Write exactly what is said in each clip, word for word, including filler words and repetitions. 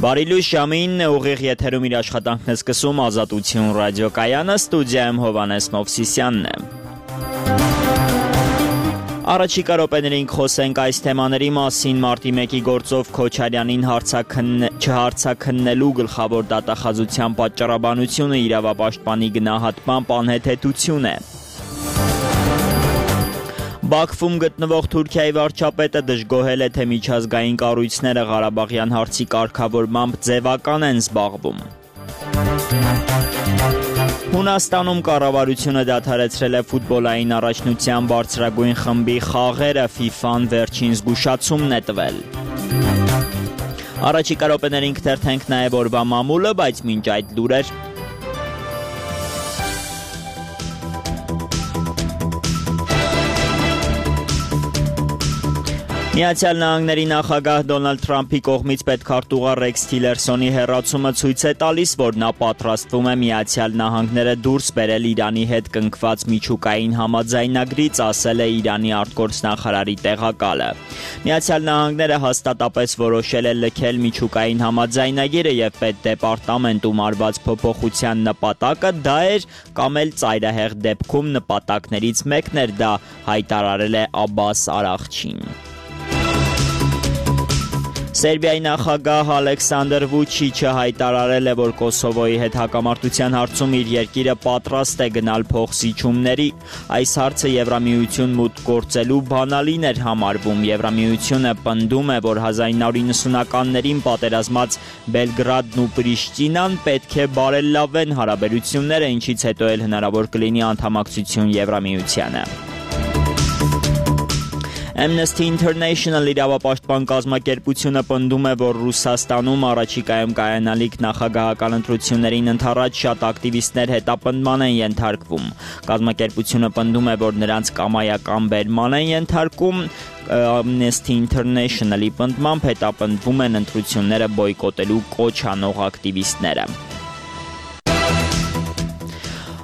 Բարի լույս ժամին ուղիղ եթերում իր աշխատանքն է սկսում Ազատություն ռադիոկայանը, ստուդիայում Հովհաննես Մովսիսյանն է։ Առաջիկա րոպեներին խոսենք այս թեմաների մասին։ Մարտի մեկի գործով Քոչարյանին չհարցաքննելու գլխավոր դատախազության պատճառաբանությունը իրավապաշտպանի գնահատմամբ անհեթեթություն է։ Բաքվում գտնվող Թուրքիայի վարչապետը դժգոհել է, թե միջազգային կառույցները Ղարաբաղյան հարցի կարգավորմամբ ձևական են զբաղվում։ Հունաստանում կառավարությունը դադարեցրել է ֆուտբոլային առաջնության բարձրագույն խմբի խաղերը, ֆիֆան վերջին զգուշացումն է տվել։ Առաջիկա րոպեներին կթերթենք նաև օրվա մամուլը, բայց մինչ այդ լուրեր Միացյալ Նահանգների նախագահ Դոնալդ Թրամփի կողմից պետքարտուղար Ռեքս Թիլերսոնի հեռացումը ցույց է տալիս, որ նա պատրաստվում է Միացյալ Նահանգները դուրս բերել Իրանի հետ կնքված միջուկային համաձայնագրից, ասել է Իրանի արտգործնախարարի տեղակալը։ Միացյալ Նահանգները հաստատապես որոշել է լքել միջուկային համաձայնագիրը եւ պետդեպարտամենտում արված փոփոխության նպատակը դա էր կամ էլ ծայրահեղ դեպքում նպատակներից մեկն էր, դա հայտարարել է Աբբաս Արաղչին։ Սերբիայի նախագահ Ալեքսանդր Վուչիչը հայտարարել է, որ Կոսովոյի հետ հակամարտության հարցում իր երկիրը պատրաստ է գնալ փոխզիջումների։ Այս հարցը Եվրամիություն մուտք գործելու բանալին էր համարվում։ Եվրամիությունը պնդում է, որ հազար ինը հարյուր նվթականներին պատերազմած Բելգրադն ու Պրիշտինան պետք է բարելավեն հարաբերությունները, ինչից հետո էլ հնարավոր կլինի անդամակցություն Եվրամիությանը։ Amnesty International իրավապաշտպան կազմակերպությունը պնդում է, որ Ռուսաստանում առաջիկայում կայանալիք նախագահական ընտրություններին ընդառաջ շատ ակտիվիստներ հետապնդման են ենթարկվում։ Կազմակերպությունը պնդում է, որ նրանց կամայական բերման են ենթարկում։ Amnesty International-ի պնդմամբ հետապնդվում են ընտրությունները բոյկոտելու կոչ անող ակտիվիստները։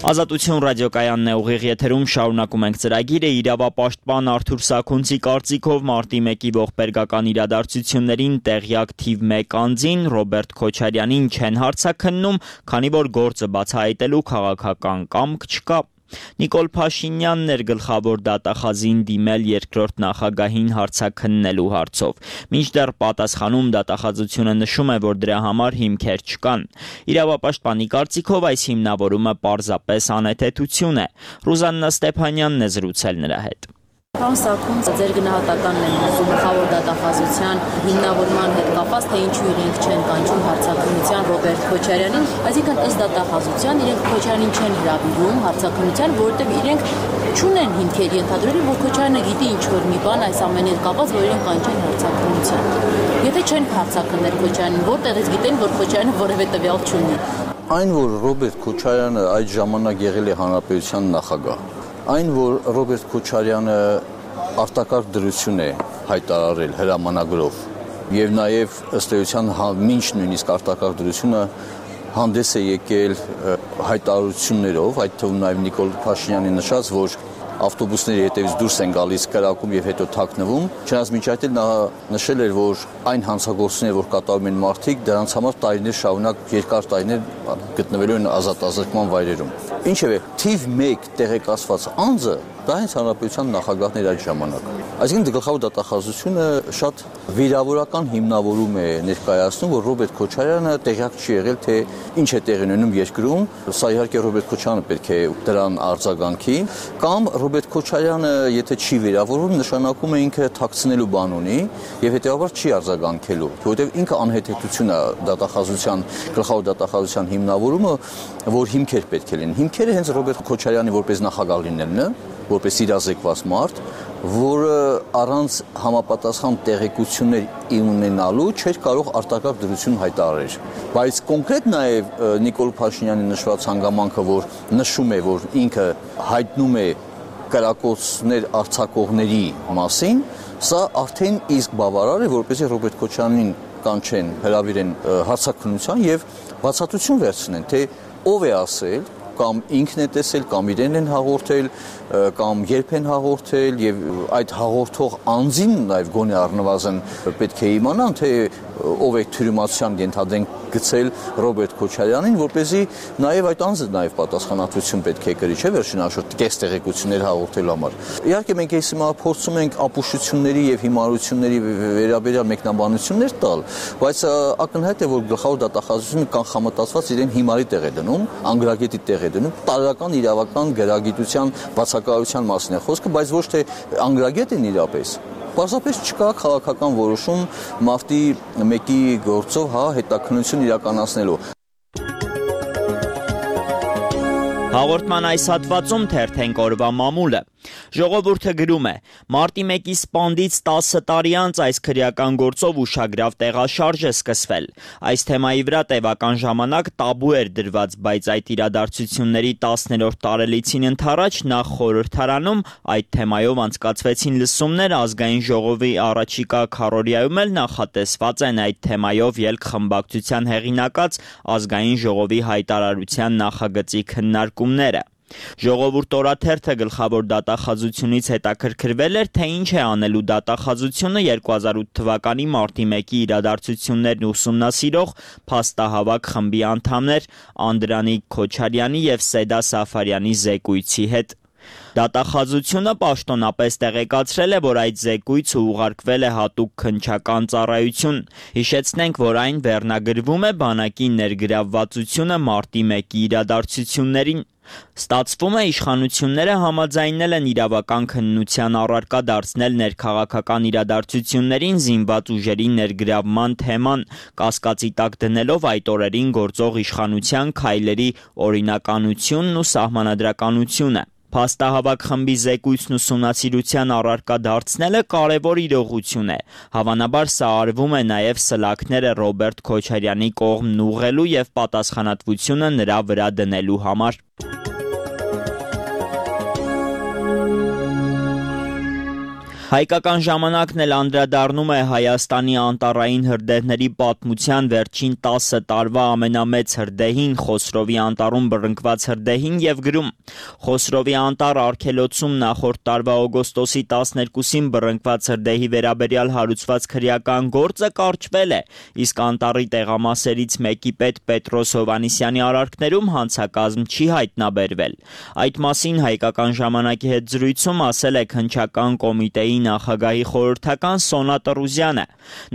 Ազատություն ռադիոկայանն է ուղիղ եթերում, շարունակում ենք ծրագիրը։ Իրավապաշտպան Արթուր Սաքունցի կարծիքով մարտի մեկի ողբերգական իրադարձություններին տեղյակ թիվ մեկ անձին Ռոբերտ Քոչարյանին չեն հարձաքննում, քանի որ գործը բացահայտելու քաղաքական կամք չկա։ Նիկոլ Փաշինյանն էր գլխավոր դատախազին դիմել երկրորդ նախագահին հարձաքննելու հարցով։ Մինչդեռ պատասխանում դատախազությունը նշում է, որ դրա համար հիմքեր չկան։ Իրավապաշտպանի կարծիքով այս հիմնավորումը պարզապես անհեթեթություն է։ Ռուզաննա Ստեփանյանն է զրուցել նրա հետ։ Պարոն Սաքունց, ձեր գնահատականն են ուզում գլխավոր դատախազության հիմնավորման հետ կապված, թե ինչու իրենք չեն կանչում հարձակնության Ռոբերտ Քոչարյանին, այսինքն ըստ դատախազության իրենք Քոչարյանին չեն հրավիրում հարձակնության, որովհետև իրենք չունեն հիմքեր ենթադրելու, որ Քոչարյանը գիտի ինչ-որ մի բան այս ամենի հետ կապված, որ իրենք կանչեն հարձակնության։ Եթե չեն հարձակնել Քոչարյանին, որտեղից գիտեն, որ Քոչարյանը որևէ տվյալ չունի։ Այն, որ Ռոբերտ Քոչարյանը այդ ժամանակ եղել է հանրապետության նախագահ, այն, որ Ռոբերտ Քոչարյանը արտակարգ դրություն է հայտարարել հրամանագրով եւ նաեւ ըստ էության մինչ նույնիսկ արտակարգ դրությունը հանդես է եկել հայտարարություններով, այդ թվում նաեւ Նիկոլ Փաշինյանի նշած, որ ավտոբուսների հետևից դուրս են գալիս կրակում եւ հետո թաքնվում, չնայած մինչ այդ էլ նա նշել էր, որ այն հանցագործությունները, որ կատարում են մարդիկ, դրանց համար տարիներ շարունակ երկար տարիներ գտնվելու են ազատազրկման վայրերում։ Ինչևէ, թիվ մեկ տեղեկացված անձը դա հենց հանրապետության նախագահն էր այդ ժամանակ։ Այսինքն գլխավոր դատախազությունը շատ վիրավորական հիմնավորում է ներկայացնում, որ Ռոբերտ Քոչարյանը տեղյակ չի եղել, թե ինչ է տեղի ունենում երկրում, սա իհարկե Ռոբերտ Քոչարյանը պետք է դրան արձագանքի, կամ Ռոբերտ Քոչարյանը, եթե չի վիրավորվում, նշանակում է ինքը թաքցնելու բան ունի եւ հետեւաբար չի արձագանքելու, որովհետեւ ինքը անհեթեթություն է դատախազության, գլխավոր դատախազության հիմնավորումը, որ հիմքեր պետք է լինեն։ Հիմքերը հենց Ռոբերտ Քոչարյանի որպես նախագահ լինելն է, որպես իրազեկված մարդ, որը առանց համապատասխան տեղեկություններ ունենալու չէր կարող արտակարգ դրություն հայտարարել։ Բայց կոնկրետ նաև Նիկոլ Փաշինյանի նշված հանգամանքը, որ նշում է, որ ինքը հայտնում է կրակոցներ արձակողների մասին, սա արդեն իսկ բավարար է, որպեսզի Ռոբերտ Քոչարյանին կանչեն, հրավիրեն հարձակնության եւ բացատրություն վերցնեն, թե ով է ասել, կամ ինքն է տեսել, կամ իրեն են հաղորդել, կամ երբ են հաղորդել եւ այդ հաղորդող անձին նաեւ գոնե առնվազն պետք է իմանան, թե ով է թյուրիմացության ենթադրենք գցել Ռոբերտ Քոչարյանին, որպեսզի նաև այդ անձը նաև պատասխանատվություն պետք է կրի, չէ՞ վերջին հաշվով կես տեղեկություններ հաղորդելու համար։ Իհարկե մենք այս հիմա փորձում ենք ապուշությունների եւ հիմարությունների վերաբերյալ մեկնաբանություններ տալ, բայց ակնհայտ է, որ գլխավոր դատախազությունը կանխամտածված իրեն հիմարի տեղ է դնում, անգրագետի տեղ է դնում, տարական իրավական գրագիտության բացակայության մասին է խոսքը, բայց ոչ թե անգրագետին իրապես։ Պարզապես չկա քաղաքական որոշում մարտի մեկի գործով հա հետաքննություն իրականացնելու։ Հաղորդման այս հատվածում թերթենք օրվա մամուլը։ Ժողովուրդը գրում է. Մարտի մեկի սպանդից տասը տարի անց այս քրեական գործով ուշագրավ տեղաշարժ է սկսվել։ Այս թեմայի վրա տևական ժամանակ տաբու էր դրված, բայց այդ իրադարձությունների տասներորդ տարելիցին ընդառաջ նախ խորհրդարանում այդ թեմայով անցկացվեցին լսումներ, ազգային ժողովի առաջիկա քառորիայում էլ նախատեսված են այդ թեմայով ելք խմբակցության հեղինակած ազգային ժողովի հայտարարության նախագծի քննարկումները։ Ժողովուրդ օրաթերթը գլխավոր դատախազությունից հետաքրքրվել էր, թե ինչ է անելու դատախազությունը երկու հազար ութ թվականի մարտի մեկի իրադարձություններն ուսումնասիրող փաստահավաք խմբի անդամներ Անդրանիկ Քոչարյանի եւ Սեդա Սաֆարյանի զեկույցի հետ։ Դատախազությունը պաշտոնապես տեղեկացրել է, որ այդ զեկույցը ուղարկվել է հատուկ քննչական ծառայություն։ Հիշեցնենք, որ այն վերնագրվում է բանակի ներգրավվածությունը մարտի մեկի իրադարձություններին։ Ստացվում է, իշխանությունները համաձայնել են իրավական քննության առարկա դարձնել ներքաղաքական իրադարձություններին զինված ուժերի ներգրավման թեման, կասկածի տակ դնելով այդ օրերին գործող իշխանության քայլերի օրինականությունն ու սահմանադրականությունը։ Փաստահավաք խմբի զեկույցն ուսումնասիրության առարկա դարձնելը կարևոր իրողություն է։ Հավանաբար սա արվում է նաև սլաքները Ռոբերտ Քոչարյանի կողմն ուղղելու և պատասխանատվությունը նրա վրա դնելու համար։ Հայկական ժամանակն էլ անդրադառնում է Հայաստանի անտառային հրդեհների պատմության վերջին տասը տարվա ամենամեծ հրդեհին, Խոսրովի անտառում բռնկված հրդեհին և գրում. Խոսրովի անտառ արգելոցում նախորդ տարվա օգոստոսի տասներկուսին բռնկված հրդեհի վերաբերյալ հարուցված քրեական գործը կարճվել է, իսկ անտառի տեղամասերից մեկի պետ Պետրոս Հովհաննիսյանի արարքներում հանցակազմ չի հայտնաբերվել։ Այդ մասին Հայկական ժամանակի հետ զրույցում ասել է քննչական կոմիտեի նախագահի խորհրդական Սոնա Տրուզյանը։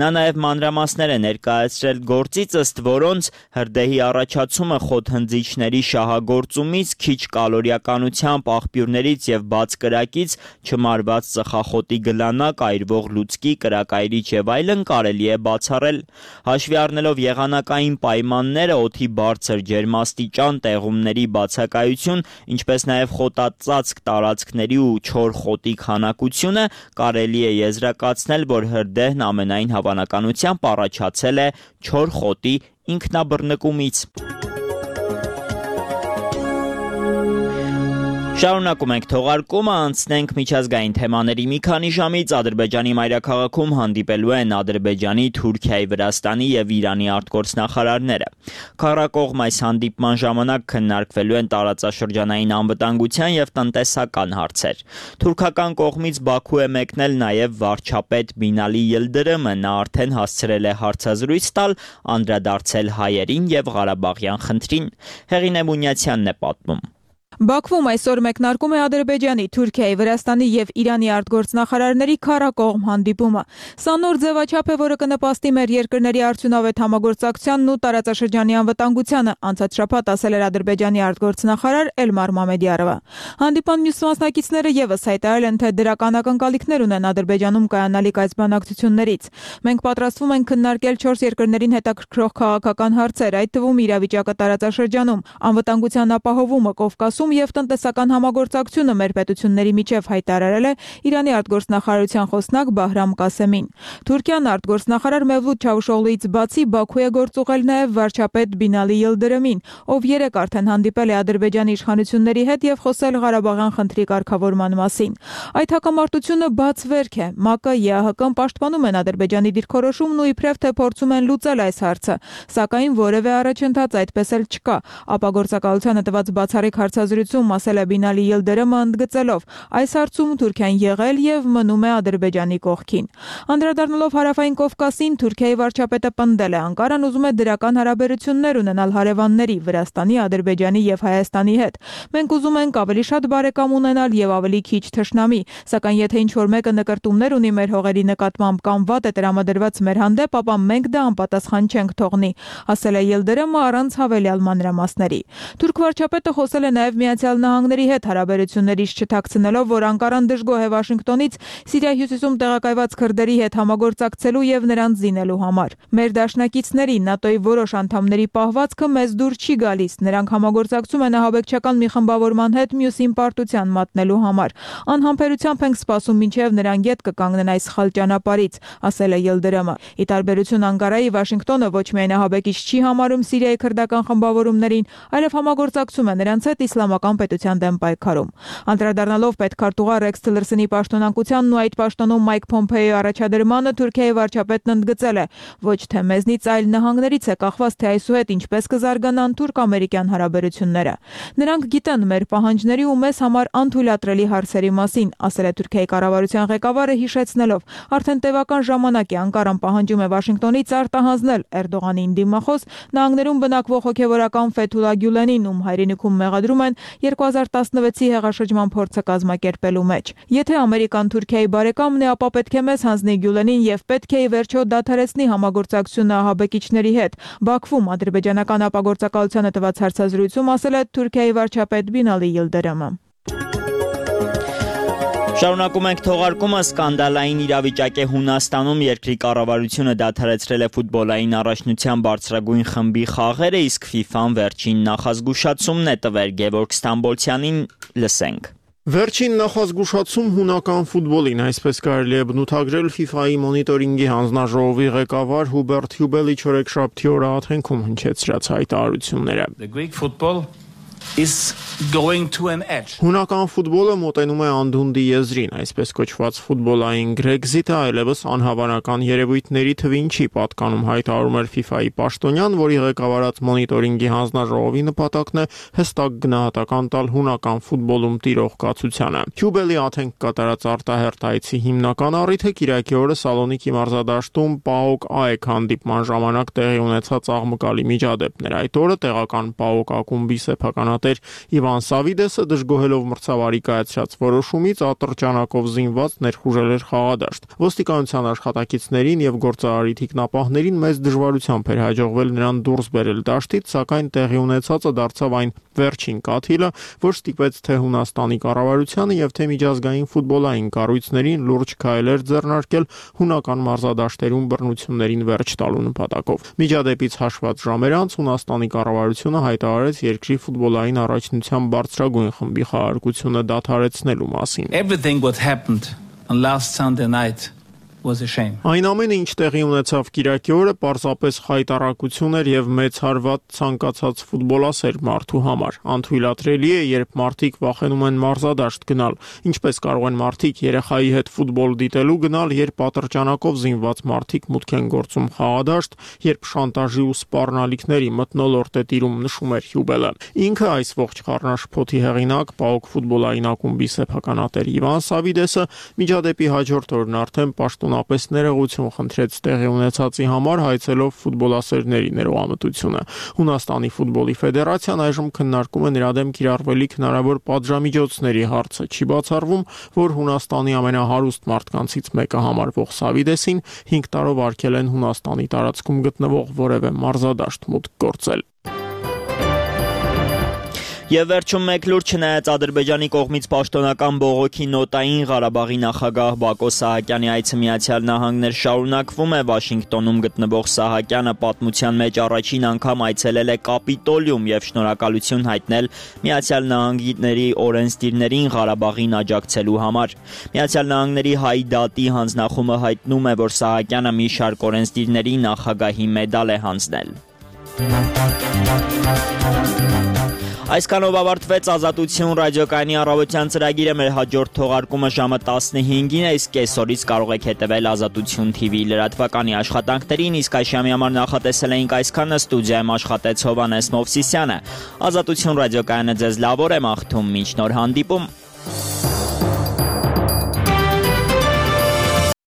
Նա նաև մանրամասներ է ներկայացրել գործից, ըստ որոնց հրդեհի առաջացումը խոթհնձիչների շահագործումից, քիչ կալորիականությամբ, աղբյուրներից և բաց կրակից, չմարված ծխախոտի գլանակ, այրվող լուծկի, կրակայրիչ և այլն կարելի է բացառել։ Հաշվի առնելով եղանակային պայմանները, օդի բարձր ջերմաստիճան, տեղումների բացակայություն, ինչպես նաև խոտածածկ տարածքների ու չոր խոտի քանակությունը, կարելի է եզրակացնել, որ հրդեհն ամենայն հավանականությամբ առաջացել է չոր խոտի ինքնաբռնկումից։ Շարունակում ենք թողարկումը, անցնենք միջազգային թեմաների մի քանի ժամից Ադրբեջանի մայրաքաղաքում հանդիպելու են Ադրբեջանի, Թուրքիայի, Վրաստանի և Իրանի արտգործնախարարները։ Քառակողմ այս հանդիպման ժամանակ քննարկվելու են տարածաշրջանային անվտանգության և տնտեսական հարցեր։ Թուրքական կողմից Բաքու է մեկնել նաև վարչապետ Բինալի Յիլդիրիմը, նա արդեն հասցրել է հարցազրույց տալ, անդրադարձել հայերին և Ղարաբաղյան խնդրին։ Հեղինե Մունյացյանն է պատմում։ Բաքվում այսօր մեկնարկում է Ադրբեջանի, Թուրքիայի, Վրաստանի և Իրանի արտգործնախարարների քառակողմ հանդիպումը։ Սա նոր ձևաչափ է, որը կնպաստի մեր երկրների արդյունավետ համագործակցությանն ու տարածաշրջանի անվտանգությանը, անցած շաբաթ ասել էր Ադրբեջանի արտգործնախարար Էլմար Մամեդյարովը։ Հանդիպան մյուս մասնակիցները ևս հայտարարել են, թե դրական ակնկալիքներ ունեն Ադրբեջանում կայանալիք այս բանակցություններից։ Մենք պատրաստվում ենք քննարկել չորս երկրներին հետաքրքրող քաղաքական հարցեր, այդ թվում իրավիճակը տարածաշրջանում, անվտանգության ապահովումը Կովկասում և տնտեսական համագործակցությունը մեր պետությունների միջև, հայտարարել է Իրանի արտգործնախարարության խոսնակ Բահրամ Կասեմին։ Թուրքիան արտգործնախարար Մևլութ Չավուշօղլուից բացի Բաքու է գործուղել նաև վարչապետ Բինալի Յիլդիրիմին, ով երեկ արդեն հանդիպել է Ադրբեջանի իշխանությունների հետ և խոսել Ղարաբաղյան խնդրի կարգավորման մասին։ Այդ հակամարտությունը բաց վերք է։ ՄԱԿ-ը, ԵԱՀԿ-ն պաշտպանում են Ադրբեջանի դիրքորոշումն ու իբրև թե փորձում են լուծել այս հարցը, սակայն որևէ առաջընթաց այդպես էլ չկա։ Ապա գործակալությանը տված բացառիկ հարցազրույցի հարցազրույցում ասել է Բինալի Յիլդիրամը, ընդգծելով. այս հարցում Թուրքիան եղել եւ մնում է Ադրբեջանի կողքին։ Անդրադառնալով Հարավային Կովկասին, Թուրքիայի վարչապետը պնդել է, Անկարան ուզում է դրական հարաբերություններ ունենալ հարևանների Վրաստանի, Ադրբեջանի եւ Հայաստանի հետ։ Մենք ուզում ենք ավելի շատ բարեկամ ունենալ եւ ավելի քիչ թշնամի, սակայն եթե ինչ-որ մեկը նկրտումներ ունի մեր հողերի նկատմամբ կամ վատ է տրամադրված մեր հանդեպ, ապա մենք դա անպատասխան չենք թողնի, ասել է Յիլդիրամը առանց հավելյալ մանրամասների։ Թուրք վարչապետը խոսել է նաեւ Միացյալ Նահանգների հետ հարաբերություններից չթաքցնելով, որ Անկարան դժգոհ է Վաշինգտոնից Սիրիայի հյուսիսում տեղակայված քրդերի հետ համագործակցելու եւ նրանց զինելու համար։ Մեր դաշնակիցների ՆԱՏՕ-ի որոշ անդամների պահվածքը մեզ դուր չի գալիս։ Նրանք համագործակցում են ահաբեկչական մի խմբավորման հետ մյուսին պարտության մատնելու համար։ Անհամբերությամբ ենք սպասում, մինչև նրանք ետ կկանգնեն այս սխալ ճանապարհից, ասել է Յիլդիրամը։ Ի տարբերություն Անկարայի, Վաշինգտոնը ոչ միայն ահաբեկիչ չի համարում Սիրիայի քրդական խմբավորումներին, այլև համագործակցում է նրանց հետ իսլամական պետության դեմ պայքարում։ Անդրադառնալով պետքարտուղար Ռեքս Թիլերսոնի պաշտոնանկությանն ու այդ պաշտոնում Մայք Փոմփեոյի առաջադրմանը, Թուրքիայի վարչապետն ընդգծել է. ոչ թե մեզնից, այլ նահանգներից է կախված, թե այսուհետ ինչպես կզարգանան թուրք-ամերիկյան հարաբերությունները։ Նրանք գիտեն մեր պահանջների ու մեզ համար անթույլատրելի հարցերի մասին, ասել է Թուրքիայի կառավարության ղեկավարը, հիշեցնելով. արդեն տևական ժամանակ է Անկարան պահանջում է Վաշինգտոնից արտահանձնել Էրդողանին դիմախոս նահանգներում բնակվող հոգևորական Ֆեթուլա Գյուլենին, ում հայրենիքում մեղադրում են երկու հազար տասնվեցի հեղաշրջման փորձը կազմակերպելու մեջ։ Եթե Ամերիկան Թուրքիայի բարեկամն է, ապա պետք է մեզ հանձնի Գյուլենին եւ պետք է ի վերջո դադարեցնի համագործակցությունը ահաբեկիչների հետ։ Բաքվում ադրբեջանական ապագործակալությանը տված հարցազրույցում ասել է Թուրքիայի վարչապետ Բինալի Յիլդիրամը։ Շարունակում ենք թողարկումը։ Սկանդալային իրավիճակ է Հունաստանում, երկրի կառավարությունը դադարեցրել է ֆուտբոլային առաջնության բարձրագույն խմբի խաղերը, իսկ ՖԻՖԱ-ն վերջին նախազգուշացումն է տվել Գևորգ Ստամբոլցյանին, լսենք։ Վերջին նախազգուշացում հունական ֆուտբոլին, այսպես կարելի է բնութագրել ՖԻՖԱ-ի մոնիտորինգի հանձնաժողովի ղեկավար Հուբերտ Հյուբելի չորեքշաբթի օրը Աթենքում հնչեցրած հայտարարությունները։ is going to an edge. Հունական ֆուտբոլը մոտենում է անդունդի եզրին, այսպես կոչված ֆուտբոլային Brexit-ը այլևս անհավանական երևույթների թվին չի պատկանում, հայտարարում էր ՖԻՖԱ-ի պաշտոնյան, որի ղեկավարած մոնիտորինգի հանձնաժողովի նպատակն է հստակ գնահատական տալ հունական ֆուտբոլում տիրող կացությանը։ Հյուբելի Աթենք կատարած արտահերթ այցի հիմնական առիթը կիրակի օրը Սալոնիկի մարզադաշտում ՊԱՕԿ ΑΕΚ հանդիպման ժամանակ տեղի ունեցած աղմկալի միջադեպն էր։ Այդ օրը տեղական ՊԱՕԿ ակումբի սեփականատեր Իվան Սավիդեսը դժգոհելով մրցավարի կայացրած որոշումից ատրճանակով զինված ներխուժել էր խաղադաշտ։ Ոստիկանության աշխատակիցներին եւ գործարարի թիկնապահներին մեծ դժվարությամբ էր հաջողվել նրան դուրս բերել դաշտից, սակայն տեղի ունեցածը դարձավ այն վերջին կաթիլը, որ ստիպեց թե Հունաստանի կառավարությանը եւ թե միջազգային ֆուտբոլային կառույցներին լուրջ քայլեր ձեռնարկել հունական մարզադաշտերում բռնություններին վերջ տալու նպատակով։ Միջադեպից հաշված ժամեր անց Հունաստանի կառավարությունը հայտարարեց երկրի ֆուտբոլային առաջնության բարձրագույն խմբի խաղարկությունը դադարեցնելու մասին։ Everything what happened on last Sunday night was a shame. Այն ամենը, ինչ տեղի ունեցավ Կիրակի օրը, պարզապես խայտառակություն էր եւ մեծ հարված ցանկացած ֆուտբոլասեր մարդու համար։ Անթույլատրելի է, երբ մարդիկ վախենում են մարզադաշտ գնալ։ Ինչպես կարող են մարդիկ երեխայի հետ ֆուտբոլ դիտելու գնալ, երբ ատրճանակով զինված մարդիկ մուտք են գործում խաղադաշտ, երբ շանտաժի ու սպառնալիքների մթնոլորտ է տիրում, նշում էր Հյուբելը։ Ինքը այս ողջ խառնաշփոթի հեղինակ ՊԱՕԿ ֆուտբոլային ակումբի սեփականատեր Իվան Սավիդեսը միջադեպի հաջորդ օրն արդեն պաշտոնապես ներողություն խնդրեց տեղի ունեցածի համար, հայցելով ֆուտբոլասերների ներողամտությունը։ Հունաստանի ֆուտբոլի ֆեդերացիան այժմ քննարկում է նրա դեմ կիրառվելիք հնարավոր պատժամիջոցների հարցը։ Չի բացառվում, որ Հունաստանի ամենահարուստ մարդկանցից մեկը համարվող Սավիդեսին հինգ տարով արգել են Հունաստանի տարածքում գտնվող որևէ մարզադաշտ մուտք գործել։ Եվ վերջում մեկ լուր, չնայած Ադրբեջանի կողմից պաշտոնական բողոքի նոտային, Ղարաբաղի նախագահ Բակո Սահակյանի այցը Միացյալ Նահանգներ շարունակվում է։ Վաշինգտոնում գտնվող Սահակյանը պատմության մեջ առաջին անգամ այցելել է Կապիտոլիում եւ շնորհակալություն հայտնել Միացյալ Նահանգների օրենսդիրներին Ղարաբաղին աջակցելու համար։ Միացյալ Նահանգների հայ դատի հանձնախումբը հայտնում է, որ Սահակյանը մի շարք օրենսդիրների նախագահի մեդալ է հանձնել։ Այսքանով ավարտվեց Ազատություն ռադիոկայանի առավոտյան ծրագիրը, մեր հաջորդ թողարկումը ժամը տասնհինգին է, իսկ կեսօրից կարող եք հետևել Ազատություն թի վի լրատվականի աշխատանքներին, իսկ այս ժամի համար նախատեսել էինք այսքանը, ստուդիայում աշխատեց Հովհաննես Մովսիսյանը։ Ազատություն ռադիոկայանը ձեզ լավ օր է մաղթում, մինչ նոր հանդիպում։